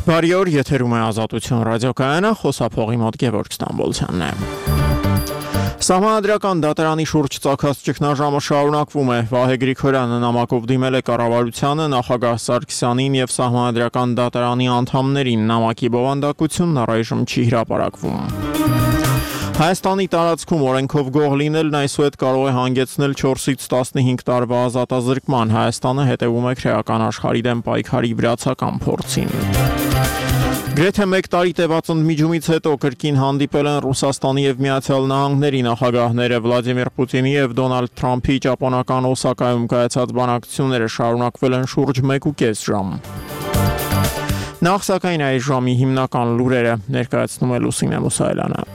Բարի օր, եթերում է Ազատություն ռադիոկայանը, խոսափողի մոտ Գևորգ Ստամբոլցյանն է։ Սահմանադրական դատարանի շուրջ ծագած ճգնաժամը շարունակվում է։ Վահե Գրիգորյանը նամակով դիմել է կառավարությանը, նախագահ Սարգսյանին եւ Սահմանադրական դատարանի անդամներին։ Նամակի բովանդակությունն առայժմ չի հրապարակվում։ Հայաստանի տարածքում օրենքով գող լինելն այսուհետ կարող է հանգեցնել 4-ից 15 տարվա ազատազրկման։ Հայաստանը հետևում է քրեական աշխարհի դեմ պայքարի վրացական փորձին։ Գրեթե 1 տարի տևած ընդմիջումից հետո կրկին հանդիպել են Ռուսաստանի եւ Միացյալ Նահանգների նախագահները։ Վլադիմիր Պուտինի եւ Դոնալդ Թրամփի ճապոնական Օսակայում կայացած բանակցությունները շարունակվել են շուրջ 1.5 ժամ։ Նախ սակայն այս ժամի հիմնական լուրերը ներկայացնում է Լուսինե Մուսայելյանը։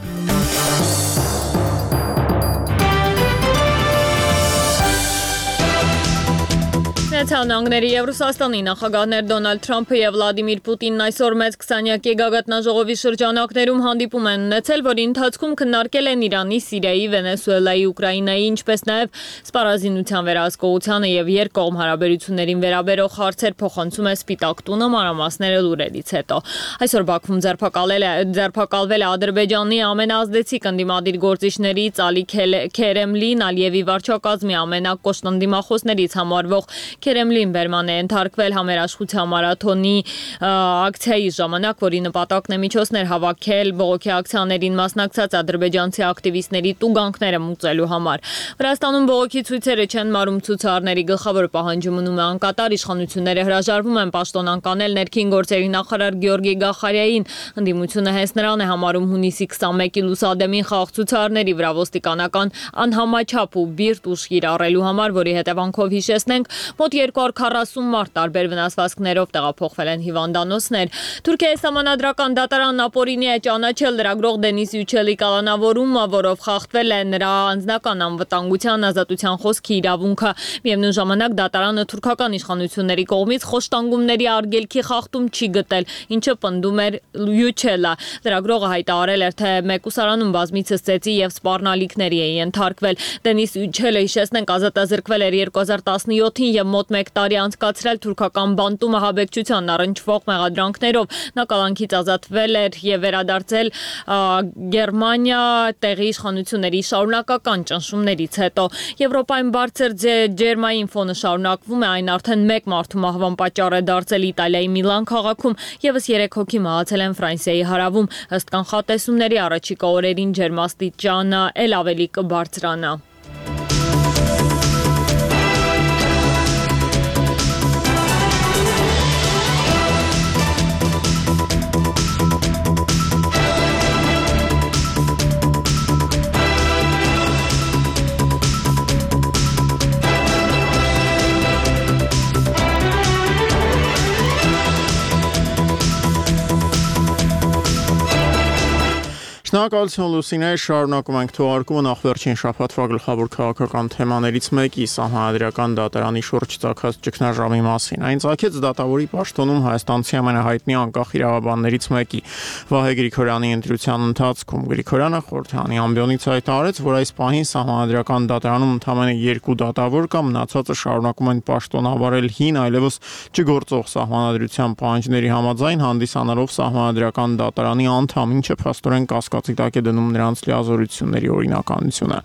Միացյալ Նահանգների եւ Ռուսաստանի նախագահներ Դոնալդ Թրամփը եւ Վլադիմիր Պուտինն այսօր մեծ 20-յակի գագաթնաժողովի շրջանակներում հանդիպում են ունեցել, որի ընթացքում քննարկել են Իրանի, Սիրիայի, Վենեսուելայի, Ուկրաինայի, ինչպես նաեւ սպառազինության վերահսկողությանը եւ երկկողմ հարաբերություններին վերաբերող հարցեր, փոխանցում է Սպիտակ տունը, մանրամասները լուրերից հետո։ Այսօր Բաքվում ձերբակալվել է Ադրբեջանի ամենաազդեցիկ ընդդիմադիր գործիչներից Ալի Քերեմլին, Ալիևի վարչակազմի ամենակոշտ ընդդիմախոսներից համարվող Քերեմլին բերման է ենթարկվել համերաշխության մարաթոնի ակցիայի ժամանակ, որի նպատակն է միջոցներ հավաքել բողոքի ակցիաներին մասնակցած ադրբեջանցի ակտիվիստների տուգանքները մուծելու համար։ Վրաստանում բողոքի ցույցերը չեն մարում, ցուցարարների գլխավոր պահանջը մնում է անկատար, իշխանությունները հրաժարվում են պաշտոն անկանել ներքին գործերի նախարար Գեորգի Գախարյային։ Ընդդիմությունը հենց նրան է համարում հունիսի 21-ի լուսադեմին խաղաղ ցուցարարների վրա ոստիկանական անհամաչափ ու բիրտ ուժ կիրառելու համար, որի հետևանքով հիշեցնենք մոտ 240 մարդ տարբեր վնասվածքներով տեղափոխվել են հիվանդանոցներ։ Թուրքիայի Սահմանադրական դատարանն ապօրինի է ճանաչել լրագրող Դենիս Յուչելի կալանավորումը, որով խախտվել է նրա անձնական անվտանգության, ազատության խոսքի իրավունքը։ Միևնույն ժամանակ դատարանը թուրքական իշխանությունների կողմից խոշտանգումների արգելքի խախտում չի գտել, ինչը պնդում էր Յուչելը։ Լրագրողը հայտարարել էր, թե մեկուսարանում բազմիցս ծեծի եւ սպառնալիքների է ենթարկվել։ Դենիս Յուչելը, հիշեցնենք, ազատազրկվել էր 2017-ին եւ մոտ 1 տարի անցկացրել թուրքական բանտումը ահաբեկչության առնչվող մեղադրանքներով։ Նա կալանքից ազատվել էր եւ վերադարձել Գերմանիա տեղի իշխանությունների շարունակական ճնշումներից հետո։ Եվրոպայում բարձր ջերմային ֆոնը շարունակվում է, այն արդեն 1 մարդու մահվան պատճառ է դարձել Իտալիայի Միլան քաղաքում, եւս 3 հոգի մահացել են Ֆրանսիայի հարավում։ Ըստ կանխատեսումների առաջիկա օրերին ջերմաստիճանը ել ավելի կբարձրանա։ Շնորհակալություն Լուսինե, շարունակում ենք թողարկումը նախ վերջին շաբաթվա գլխավոր քաղաքական թեմաներից մեկի Սահմանադրական դատարանի շուրջ ծագած ճգնաժամի մասին։ Այն ծագեց դատավորի պաշտոնում հայաստանցի ամենահայտնի անկախ իրավաբաններից մեկի Վահե Գրիգորյանի ընտրության ընթացքում։ Գրիգորյանը խորհրդանի ամբիոնից հայտարարեց, որ այս պահին Սահմանադրական դատարանում ընդամենը 2 դատավոր կա, մնացածը շարունակում են պաշտոն ավարել հին, այլևս չգործող սահմանադրության պահանջների համաձայն, հանդիսանալով Սահմանադրական դատարանի անդամ, ինչը փաստորեն կասկածի տակ է դնում նրանց լիազորությունների օրինականությունը։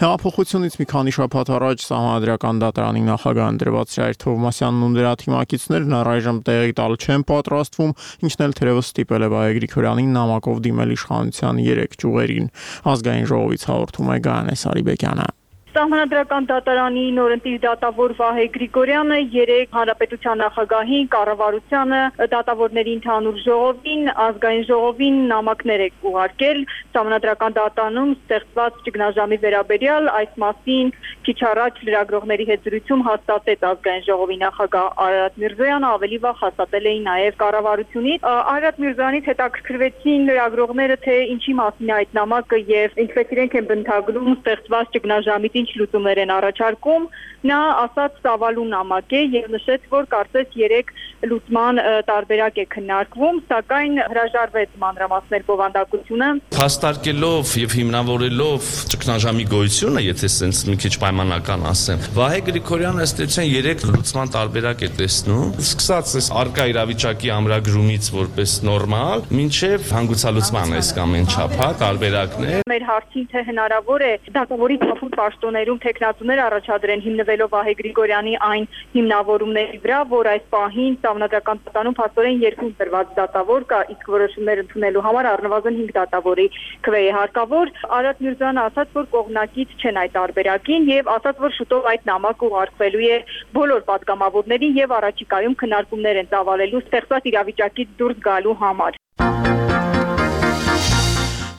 Հեղափոխությունից մի քանի շաբաթ առաջ Սահմանադրական դատարանի նախագահ ընտրված Սայր Թովմասյանն ու նրա թիմակիցներն առայժմ տեղի տալ չեն պատրաստվում, ինչն էլ թերևս ստիպել է Վահե Գրիգորյանին նամակով դիմել իշխանության 3 ճյուղերին։ Ազգային ժողովից հաղորդում է Գայանե Սարիբեկյանը։ Սահմանադրական դատարանի նորընտիր դատավոր Վահե Գրիգորյանը երեկ հանրապետության նախագահին, կառավարությանը, դատավորների ընդհանուր ժողովին, ազգային ժողովին նամակներ է ուղարկել Սահմանադրական դատարանում ստեղծված ճգնաժամի վերաբերյալ, այս մասին քիչ առաջ լրագրողների հետ զրույցում հաստատեց ազգային ժողովի նախագահ Արարատ Միրզոյանը, ավելի վաղ հաստատել էին նաև կառավարությունից։ Արարատ Միրզոյանից հետաքրքրվեցին լրագրողները, թե ինչի մասին է այդ նամակը եւ ինչպես իրենք են բնութագրում ստեղծված ճգնաժամի ինչ լուծումներ են առաջարկում, նա ասաց ծավալու նամակ է եւ նշեց, որ կարծես 3 լուծման տարբերակ է քննարկվում, սակայն հրաժարվեց մանրամասներ բովանդակությունը։ Փաստարկելով եւ հիմնավորելով ճգնաժամի գոյությունը, եթե sense մի քիչ պայմանական ասեմ, Վահե Գրիգորյանը ըստ էության 3 լուծման տարբերակ է տեսնում, սկսած այս արկա իրավիճակի ամրագրումից որպես նորմալ, մինչեւ հանգուցալուծման այս կամ այն չափ, տարբերակներ։ Մեր հարցին թե հնարավոր է դատավորի թափուր պաշտոններում տեխնացուներ առաջադրեն հիմնվելով Վահե Գրիգորյանի այն հիմնավորումների վրա, որ այս պահին Սահմանադրական պատանում փաստորեն 2 դրված դատավոր կա, իսկ որոշումներ ընդունելու համար առնվազն 5 դատավորի քվե է հարկավոր։ Արադ Միրզոյանը ասաց, որ կողմնակից չեն այդ տարբերակին եւ ասաց, որ շուտով այդ նամակը ուղարկվելու է բոլոր պատգամավորներին եւ առաջիկայում քննարկումներ են ծավալելու ստեղծված իրավիճակից դուրս գալու համար։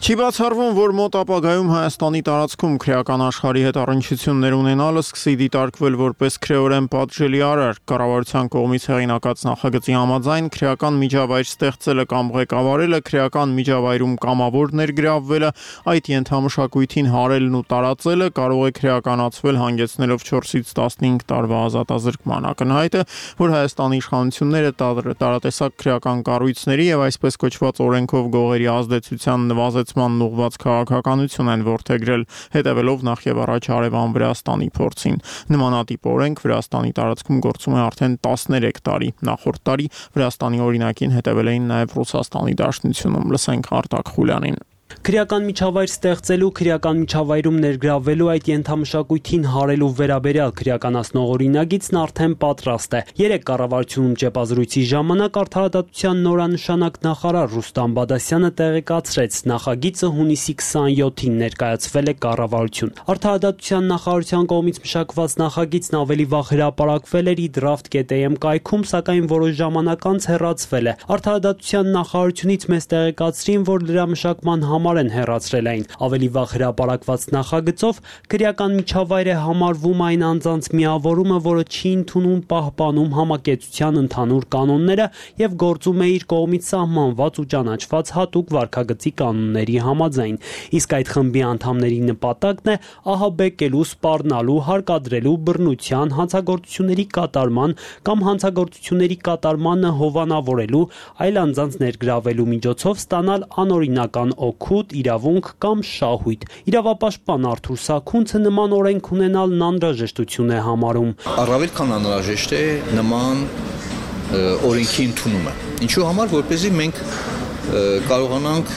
Չի բացառվում, որ մոտ ապագայում Հայաստանի տարածքում քրեական աշխարհի հետ առնչություններ ունենալը սկսի դիտարկվել որպես քրեորեն պատժելի արար։ Կառավարության կողմից հեղինակած նախագծի համաձայն քրեական միջավայր ստեղծելը կամ ղեկավարելը, քրեական միջավայրում կամավոր ներգրավվելը, այդ ենթամշակույթին հարելն ու տարածելը կարող է քրեականացվել հանգեցնելով 4-ից 15 տարվա ազատազրկման։ Ակնհայտ է, որ Հայաստանի իշխանությունները տարատեսակ քրեական կառույցների եւ այսպես կոչված օրենքով գողերի ազդեցության նվազեցման ուղղված քաղաքականություն են որդեգրել, հետևելով նախ եւ առաջ Արևան Վրաստանի փորձին։ Նմանատիպ օրենք Վրաստանի տարածքում գործում է արդեն 13 տարի։ Նախորդ տարի Վրաստանի օրինակին հետևել էին նաեւ Ռուսաստանի Դաշնությունում։ Լսենք Արտակ Խուլյանին։ Քրեական միջավայր ստեղծելու, քրեական միջավայրում ներգրավվելու, այդ ենթամշակույթին հարելու վերաբերյալ քրեականացնող օրինագիծն արդեն պատրաստ է։ Երեք կառավարությունում ճեպազրույցի ժամանակ Արդարադատության նորանշանակ նախարար Ռուստամ Բադասյանը տեղեկացրեց, նախագիծը հունիսի 27-ին ներկայացվել է կառավարություն։ Արդարադատության նախարարության կողմից մշակված նախագիծն ավելի վաղ հրապարակվել էր draft.am կայքում, սակայն որոշ ժամանակ անց հեռացվել է։ Արդարադատության նախարարությունից մեզ տեղեկացրին, որ դրա մշակման համար են հեռացրել այն։ Ավելի վաղ հրապարակված նախագծով քրեական միջավայր է համարվում այն անձանց միավորումը, որը չի ընդունում, պահպանում համակեցության ընդհանուր կանոնները եւ գործում է իր կողմից սահմանված ու ճանաչված հատուկ վարքագծի կանոնների համաձայն։ Իսկ այդ խմբի անդամների նպատակն է ահաբեկելու, սպառնալու, հարկադրելու, բռնության, հանցագործությունների կատարման կամ հանցագործությունների կատարմանը հովանավորելու, այլ անձանց ներգրավելու միջոցով ստանալ անօրինական օգուտ, իրավունք կամ շահույթ։ Իրավապաշտպան Արթուր Սաքունցը նման օրենք ունենալն անհրաժեշտություն է համարում։ Առավել քան անհրաժեշտ է նման օրենքի ընդունումը։ Ինչու համար, որպեսզի մենք կարողանանք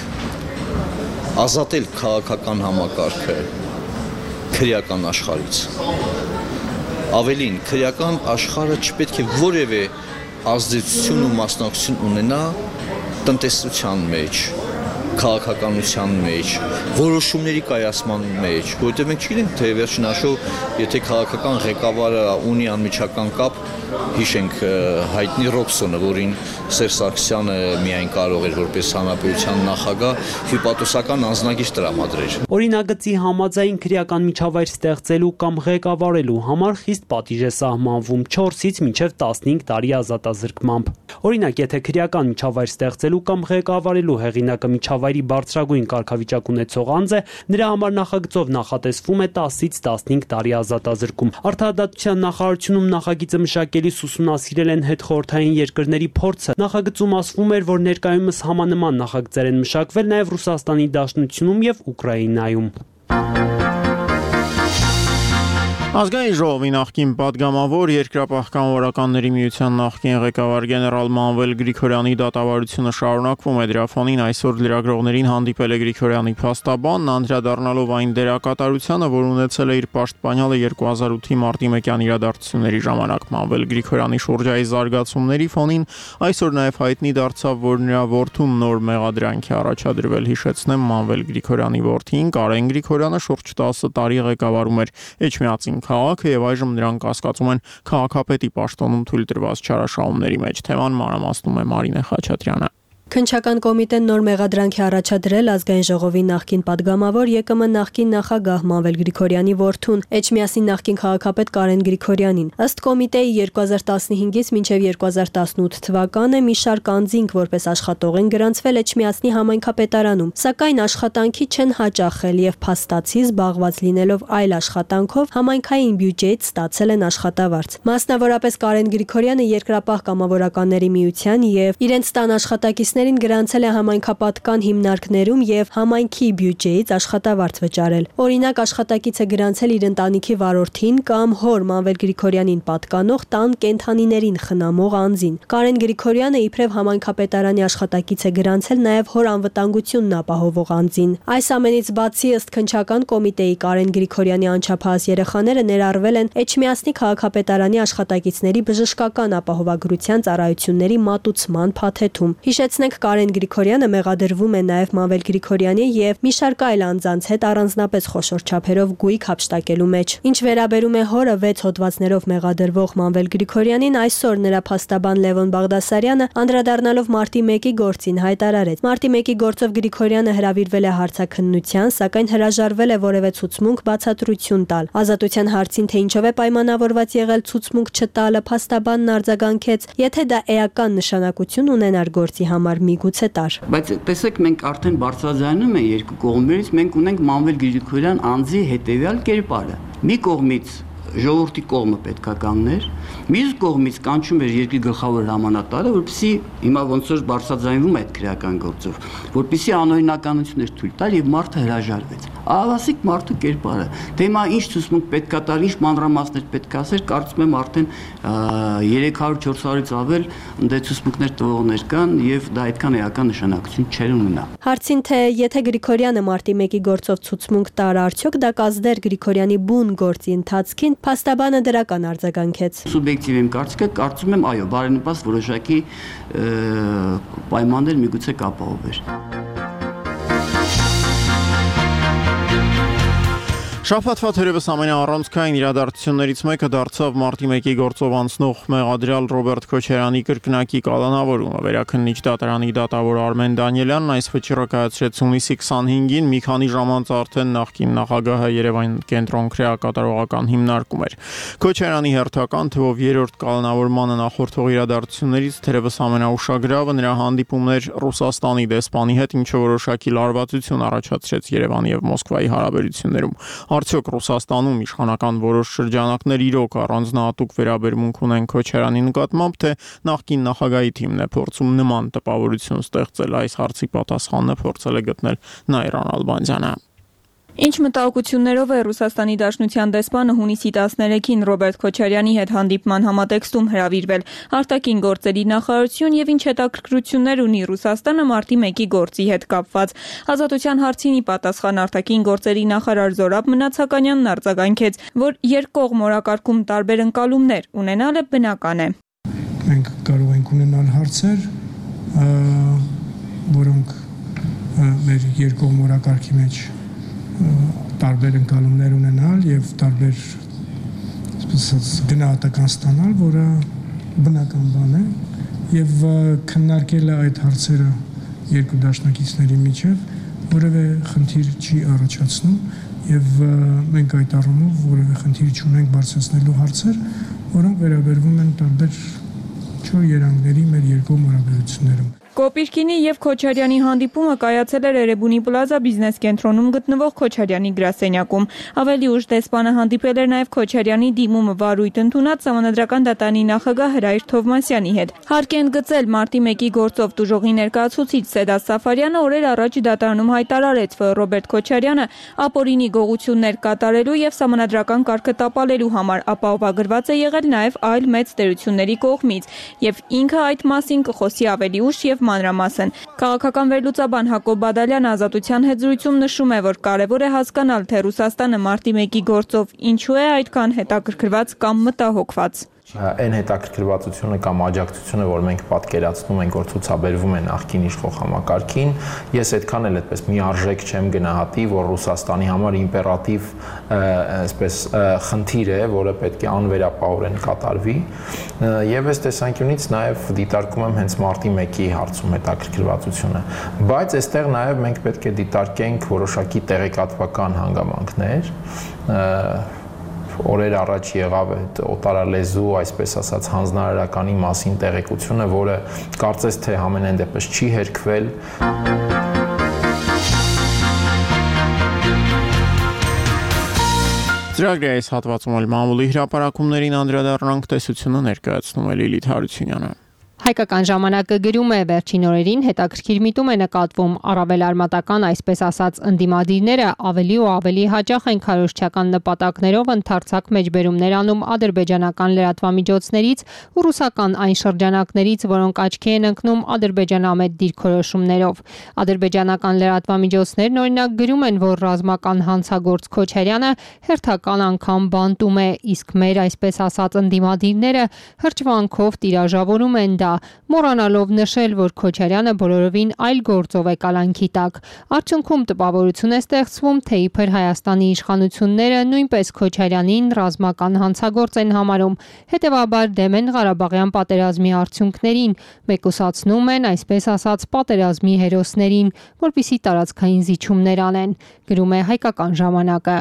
ազատել քաղաքական համակարգը քրեական աշխարհից։ Ավելին, քրեական աշխարհը չպետք է որևէ ազդեցություն ու մասնակցություն ունենա տնտեսության մեջ, քաղաքականության մեջ, որոշումների կայացման մեջ, որովհետև մենք չգիտենք, թե վերջնաշով, եթե քաղաքական ղեկավարը ունի անմիջական կապ, հիշենք հայտնի Ռոբսոնը, որին Սերժ Սարգսյանը միայն կարող էր որպես հանրապետության նախագահ հյուպատոսական անձնագիր տրամադրել։ Օրինագծի համաձայն քրեական միջավայր ստեղծելու կամ ղեկավարելու համար խիստ պատիժ է սահմանվում 4-ից մինչև 15 տարի ազատազրկմամբ։ Օրինակ, եթե քրեական միջավայր ստեղծելու կամ ղեկավարելու հեղինակը միջավայրի բարձրագույն կարգավիճակ ունեցող անձ է, նրա համար նախագծով նախատեսվում է 10-ից 15 տարի ազատազրկում։ Արդարադատության նախարարությունում նախագիծը մշակելիս ուսումնասիրել են հետխորհրդային երկրների փորձը։ Նախագծում ասվում էր, որ ներկայումս համանման նախագծեր են մշակվել նաև Ռուսաստանի Դաշնությունում եւ Ուկրաինայում։ Ազգային ժողովի նախկին պատգամավոր Երկրապահ-կամավորականների միության նախկին ղեկավար գեներալ Մանվել Գրիգորյանի դատավարությունը շարունակվում է։ Դրա ֆոնին այսօր լրագրողներին հանդիպել է Գրիգորյանի փաստաբանն, անդրադառնալով այն դերակատարությանը, որ ունեցել է իր պաշտպանյալը 2008-ի մարտի 1-յան իրադարձությունների ժամանակ։ Մանվել Գրիգորյանի շուրջային զարգացումների ֆոնին այսօր նաև հայտնի դարձավ, որ նրա որդուն նոր մեղադրանք է առաջադրվել։ Հիշեցնեմ, Մանվել Գրիգորյանի որդին Կարեն Գրիգորյանը շուրջ 10 տարի ղեկավարում էր Էջմիածին քաղաքը եւ այժմ նրանք կասկածում են քաղաքապետի պաշտոնում թույլ տրված չարաշահումների մեջ։ Թեման մանրամասնում է Մարինե Խաչատրյանը։ Քննչական կոմիտեն նոր մեղադրանք է առաջադրել ազգային ժողովի նախկին падգամավոր ԵԿՄ նախկին նախագահ Մանվել Գրիգորյանի որդուն Էջմիածնի նախկին քաղաքապետ Կարեն Գրիգորյանին։ Ըստ կոմիտեի 2015-ից մինչև 2018 թվականը մի շարք անձինք որպես աշխատող են գրանցվել Էջմիածնի համայնքապետարանում, սակայն աշխատանքի չեն հաճախել եւ փաստացի զբաղված լինելով այլ աշխատանքով համայնքային բյուջեից ստացել են աշխատավարձ։ Մասնավորապես Կարեն Գրիգորյանը երկրապահ կամավորականների միության եւ իրենց տան աշխատակիցներին գրանցել է համայնքապատկան հիմնարկներում եւ համայնքի բյուջեից աշխատավարձ վճարել։ Օրինակ աշխատակիցը գրանցել իր ընտանիքի վարորդին կամ հոր Մանվել Գրիգորյանին պատկանող տան կենդանիներին խնամող անձին։ Կարեն Գրիգորյանը իբրև համայնքապետարանի աշխատակից է գրանցել նաեւ հոր անվտանգությունն ապահովող անձին։ Այս ամենից բացի ըստ քննչական կոմիտեի Կարեն Գրիգորյանի անչափահաս երեխաները ներառվել են Էջմիածնի քաղաքապետարանի աշխատակիցների բժշկական ապահովագրության ծառայությունների մատուցման փաթեթում։ Հիշեցնենք Կարեն Գրիգորյանը մեղադրվում է նաև Մանվել Գրիգորյանի եւ մի շարք այլ անձանց հետ առանձնապես խոշոր չափերով գույք հափշտակելու մեջ։ Ինչ վերաբերում է հորը 6 հոդվածներով մեղադրվող Մանվել Գրիգորյանին, այսօր նրա փաստաբան Լևոն Բաղդասարյանը անդրադառնալով մարտի 1-ի գործին հայտարարեց. Մարտի 1-ի գործով Գրիգորյանը հրավիրվել է հարցաքննության, սակայն հրաժարվել է որևէ ցուցմունք բացատրություն տալ։ Ազատության հարցին, թե ինչով է պայմանավորված եղել ցուցմունք չտալը, փաստաբանն արձագանքեց, եթե դա էական նշանակություն ունենար գործի համար միգուցե տար։ Բայց տեսեք, մենք արդեն բարձրաձայնում ենք երկու կողմերից, մենք ունենք Մանվել Գրիգորյան անձի հետևյալ կերպարը։ Մի կողմից ժողովրդի կողմը պետքա կանգներ, մյուս կողմից կանչում էր երկրի գլխավոր հրամանատարը, որպեսզի հիմա ոնց որ բարձրաձայնվում է այդ քրեական գործով, որպեսզի անօրինականություններ թույլ տալ եւ մարդը հրաժարվեց։ Ահավասիկ մարդու կերպարը։ Դե հիմա ինչ ցուցմունք պետքա տալ, ինչ մանրամասներ պետքա ասել, կարծում եմ արդեն 300-400-ից ավել դե ցուցմունքներ տվողներ կան եւ դա այդքան էական նշանակություն չեր ունենա։ Հարցին թե եթե Գրիգորյանը մարտի 1-ի գործով ցուցմունք տար, արդյոք դա կազդեր Գրիգորյանի բուն գործի ընթացքին, փաստաբանը դրական արձագանքեց։ Սուբյեկտիվ եմ կարծիքը, կարծում եմ այո, բարենպաստ որոշակի պայմաններ միգուցե կապահովեր։ Շաբաթվա թերևս ամենաառանցքային իրադարձություններից մեկը դարձավ մարտի 1-ի գործով անցնող մեղադրյալ Ռոբերտ Քոչարյանի կրկնակի կալանավորումը։ Վերաքննիչ դատարանի դատավոր Արմեն Դանիելյանն այս վճիռը կայացրեց հունիսի 25-ին, մի քանի ժամ անց արդեն նախկին նախագահը Երևան կենտրոն քրեակատարողական հիմնարկում էր։ Քոչարյանի հերթական թվով երրորդ կալանավորմանը նախորդող իրադարձություններից թերևս ամենաուշագրավը նրա հանդիպումն էր Ռուսաստանի դեսպանի հետ, ինչը որոշակի լարվածություն առաջացրեց Երևանի եւ Մոսկվայի հարաբերություններում։ Արդյոք Ռուսաստանում իշխանական որոշ շրջանակներ իրոք առանձնահատուկ վերաբերմունք ունեն Քոչարյանի նկատմամբ, թե նախկին նախագահի թիմն է փորձում նման տպավորություն ստեղծել, այս հարցի պատասխանը փորձել է գտնել Նայրան Ալբանդյանը։ Ինչ մտահոգություններով է Ռուսաստանի Դաշնության դեսպանը հունիսի 13-ին Ռոբերտ Քոչարյանի հետ հանդիպման համատեքստում հրավիրվել արտաքին գործերի նախարարություն եւ ինչ հետաքրքրություններ ունի Ռուսաստանը մարտի 1-ի գործի հետ կապված։ Ազատության հարցին ի պատասխան արտաքին գործերի նախարար Զորաբ Մնացականյանն արձագանքեց, որ երկկողմ օրակարգում տարբեր ընկալումներ ունենալը բնական է։ Մենք կարող ենք ունենալ հարցեր, որոնք մեր երկկողմ օրակարգի մեջ տարբեր ընկալումներ ունենալ եւ տարբեր գնահատական ստանալ, որը բնական բան է եւ քննարկել է այդ հարցերը երկու դաշնակիցների միջև որևէ խնդիր չի առաջացնում եւ մենք այդ առումով որևէ խնդիր չունենք բարձրացնելու հարցեր, որոնք վերաբերվում են տարբեր չոր երանգների մեր երկու հարաբերություններում։ Կոպիրկինի եւ Քոչարյանի հանդիպումը կայացել էր Էրեբունի Պլազա բիզնես կենտրոնում գտնվող Քոչարյանի գրասենյակում։ Ավելի ուշ դեսպանը հանդիպել էր նաեւ Քոչարյանի դիմումը վարույթ ընդունած Սահմանադրական դատարանի նախագահ Հրայր Թովմասյանի հետ։ Հարկ են գծել մարտի 1-ի գործով տուժողի ներկայացուցիչ Սեդաս Սաֆարյանը օրեր առաջ դատարանում հայտարարեց, որ Ռոբերտ Քոչարյանը ապօրինի գողություններ կատարելու եւ Սահմանադրական կարգը տապալելու համար ապահովագրված է եղել նաեւ այլ մեծ տերությունների կողմից եւ ինքը այդ մասին կխոսի ավելի ուշ եւ մանրամասն։ Քաղաքական վերլուծաբան Հակոբ Բադալյանը Ազատության հետ զրույցում նշում է, որ կարևոր է հասկանալ, թե Ռուսաստանը մարտի 1-ի գործով ինչու է այդքան հետաքրքրված կամ մտահոգված։ Այն հետաքրքրվածությունը կամ աջակցությունը, որ մենք պատկերացնում ենք, որ ցուցաբերվում է նախկին իշխող համակարգին, ես այդքան էլ այդպես միարժեք չեմ գնահատի, որ Ռուսաստանի համար իմպերատիվ այսպես խնդիր է, որը պետք է անվերապահորեն կատարվի, եւ այս տեսանկյունից նաեւ դիտարկում եմ հենց մարտի 1-ի հարցում հետաքրքրվածությունը, բայց այստեղ նաեւ մենք պետք է դիտարկենք որոշակի տեղեկատվական հանգամանքներ, օրեր առաջ եղավ այդ օտարալեզու, այսպես ասած, հանձնարարականի մասին տեղեկությունը, որը կարծես թե համենայն դեպս չի հերքվել։ Ծրագրի այս հատվածում էլ մամուլի հրապարակումներին անդրադառնանք, տեսությունը ներկայացնում է Լիլիթ Հարությունյանը։ Հայկական ժամանակը գրում է վերջին օրերին հետաքրքիր միտում է նկատվում առավել արմատական այսպես ասած ընդդիմադիրները ավելի ու ավելի հաճախ են քարոզչական նպատակներով ընդարձակ մեջբերումներ անում ադրբեջանական լրատվամիջոցներից ու ռուսական այն շրջանակներից, որոնք աչքի են ընկնում ադրբեջանամետ դիրքորոշումներով։ Ադրբեջանական լրատվամիջոցներն օրինակ գրում են, որ ռազմական հանցագործ Քոչարյանը հերթական անգամ բանտում է, իսկ մեր այսպես ասած ընդդիմադիրները հրճվանքով տիրաժավորում են դա, մոռանալով նշել, որ Քոչարյանը բոլորովին այլ գործով է կալանքի տակ։ Արդյունքում տպավորություն է ստեղծվում, թե իբր Հայաստանի իշխանությունները նույնպես Քոչարյանին ռազմական հանցագործ են համարում, հետևաբար դեմ են Ղարաբաղյան պատերազմի արդյունքներին, մեկուսացնում են այսպես ասած պատերազմի հերոսներին, որպեսզի տարածքային զիջումներ անեն, գրում է Հայկական ժամանակը։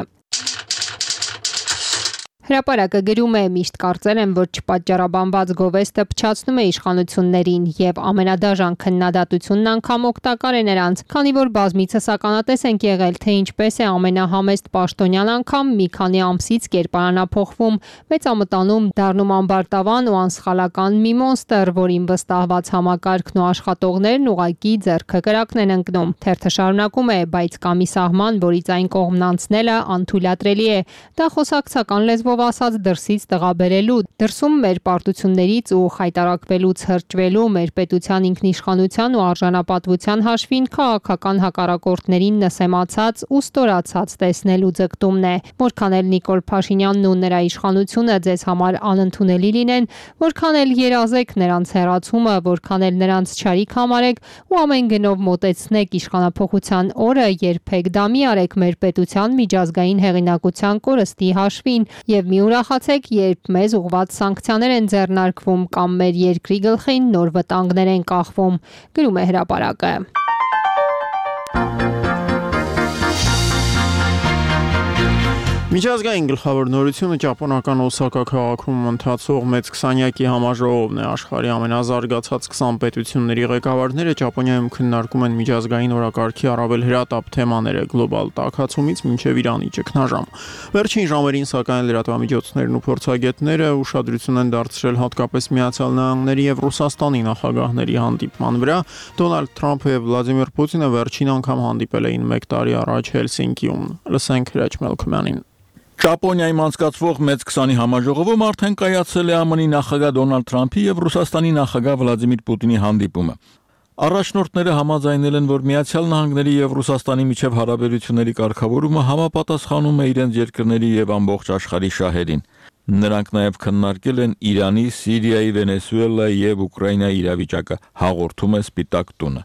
Հրապարակը գրում է, միշտ կարծել եմ, որ չպատճառաբանված գովեստը փչացնում է իշխանություններին եւ ամենադաժան քննադատությունն անգամ օգտակար է նրանց, քանի որ բազմիցս ականատես ենք եղել, թե ինչպես է ամենահամեստ պաշտոնյան անգամ մի քանի ամսից կերպարանափոխվում, մեծամտանում դառնում ամբարտավան ու անսխալական մի մոնստր, որին վստահված համակարգն ու աշխատողներն ուղակի ձեռքը կրակն են ընկնում։ Թերթը շարունակում է, բայց կա մի սահման, որից այն կողմն անցնելը անթույլատրելի է։ Դա խոսակցական լեզվով ասած դրսից տղաբերելու, դրսում մեր պարտություններից ու խայտարակվելուց հրճվելու, մեր պետության ինքնիշխանության ու արժանապատվության հաշվին քաղաքական հակառակորդներին նսեմացած ու ստորացած տեսնելու ձգտումն է։ Որքան էլ Նիկոլ Փաշինյանն ու նրա իշխանությունը ձեզ համար անընդունելի լինեն, որքան էլ երազեք նրանց հեռացումը, որքան էլ նրանց չարիք համարեք ու ամեն գնով մոտեցնեք իշխանափոխության օրը, երբեք դա մի արեք մեր պետության միջազգային հեղինակության կորստի հաշվին եւ մի ուրախացեք, երբ մեզ ուղղված սանկցիաներ են ձեռնարկվում կամ մեր երկրի գլխին նոր վտանգներ են կախվում, գրում է հրապարակը։ Միջազգային գլխավոր նորությունը ճապոնական Օսակա քաղաքում ընթացող մեծ 20-յակի համաժողովն է։ Աշխարհի ամենազարգացած 20 պետությունների ղեկավարները Ճապոնիայում քննարկում են միջազգային օրակարգի առավել հրատապ թեմաները՝ գլոբալ տաքացումից մինչև Իրանի ճգնաժամ։ Վերջին ժամերին սակայն լրատվամիջոցներն ու փորձագետները ուշադրություն են դարձրել հատկապես Միացյալ Նահանգների եւ Ռուսաստանի նախագահների հանդիպման վրա։ Դոնալդ Թրամփը եւ Վլադիմիր Պուտինը վերջին անգամ հանդիպել էին 1 տարի առաջ Հելսինկիում։ Լսենք Հրաչ Մելքոյանին։ Ճապոնիայում անցկացվող մեծ 20-ի համաժողովում արդեն կայացել է ԱՄՆ-ի նախագահ Դոնալդ Թրամփի եւ Ռուսաստանի նախագահ Վլադիմիր Պուտինի հանդիպումը։ Առաջնորդները համաձայնել են, որ Միացյալ Նահանգների եւ Ռուսաստանի միջև հարաբերությունների կարգավորումը համապատասխանում է իրենց երկրների եւ ամբողջ աշխարհի շահերին։ Նրանք նաեւ քննարկել են Իրանի, Սիրիայի, Վենեսուելայի եւ Ուկրաինայի իրավիճակը, հաղորդում է Սպիտակ տունը։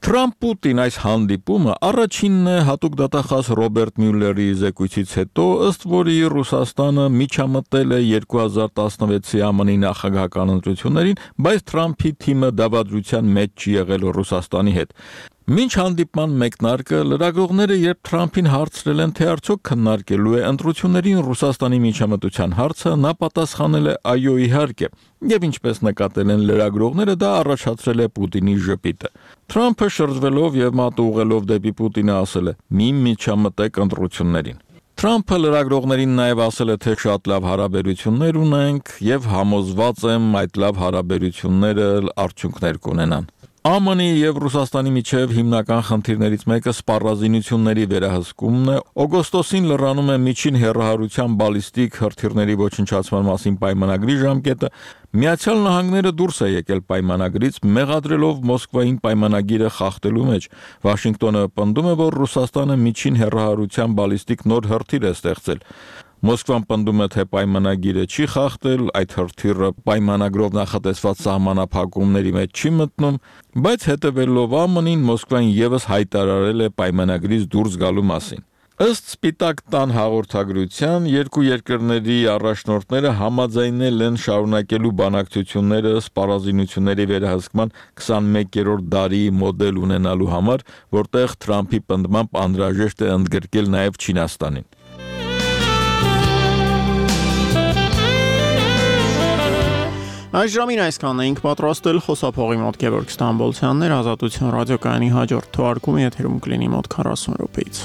Թրամփ-Պուտին այս հանդիպումը առաջինն է հատուկ դատախազ Ռոբերտ Մյուլլերի զեկույցից հետո, ըստ որի Ռուսաստանը միջամտել է 2016-ի ԱՄՆ-ի նախագահական ընտրություններին, բայց Թրամփի թիմը դավադրության մեջ չի եղել Ռուսաստանի հետ։ Մինչ հանդիպման մեկնարկը լրագրողները երբ Թրամփին հարցրել են, թե արդյոք քննարկելու է ընտրություններին Ռուսաստանի միջամտության հարցը, նա պատասխանել է այո, իհարկե, եւ ինչպես նկատել են լրագրողները, դա առաջացրել է Պուտինի ժպիտը։ Թրամփը շրջվելով եւ մատը ուղղելով դեպի Պուտինը ասել է. «Մի միջամտեք ընտրություններին»։ Թրամփը լրագրողներին նաեւ ասել է, թե շատ լավ հարաբերություններ ունենք եւ համոզված եմ այդ լավ հարաբերությունները արդյունքներ կունենան։ ԱՄՆ-ի եւ Ռուսաստանի միջև հիմնական խնդիրներից մեկը սպառազինությունների վերահսկումն է։ Օգոստոսին լրանում է միջին հեռահարության բալիստիկ հրթիռների ոչնչացման մասին պայմանագրի ժամկետը։ Միացյալ Նահանգները դուրս է եկել պայմանագրից, մեղադրելով Մոսկվային պայմանագիրը խախտելու մեջ։ Վաշինգտոնը պնդում է, որ Ռուսաստանը միջին հեռահարության բալիստիկ նոր հրթիռ է ստեղծել։ Մոսկվան պնդում է, թե պայմանագիրը չի խախտել, այդ հրթիռը պայմանագրով նախատեսված սահմանափակումների մեջ չի մտնում, բայց հետևելով ԱՄՆ-ին Մոսկվան եւս հայտարարել է պայմանագրից դուրս գալու մասին։ Ըստ Սպիտակ տան հաղորդագրության, երկու երկրների առաջնորդները համաձայնել են շարունակելու բանակցությունները սպառազինությունների վերահսկման 21-րդ դարի մոդել ունենալու համար, որտեղ Թրամփի պնդմամբ անհրաժեշտ է ընդգրկել նաև Չինաստանին։ Այս ժամին այսքանն էինք պատրաստել, խոսափողի մոտ Գևորգ Ստամբոլցյանն էր, Ազատություն ռադիոկայանի հաջորդ թողարկումը եթերում կլինի մոտ 40 րոպեից։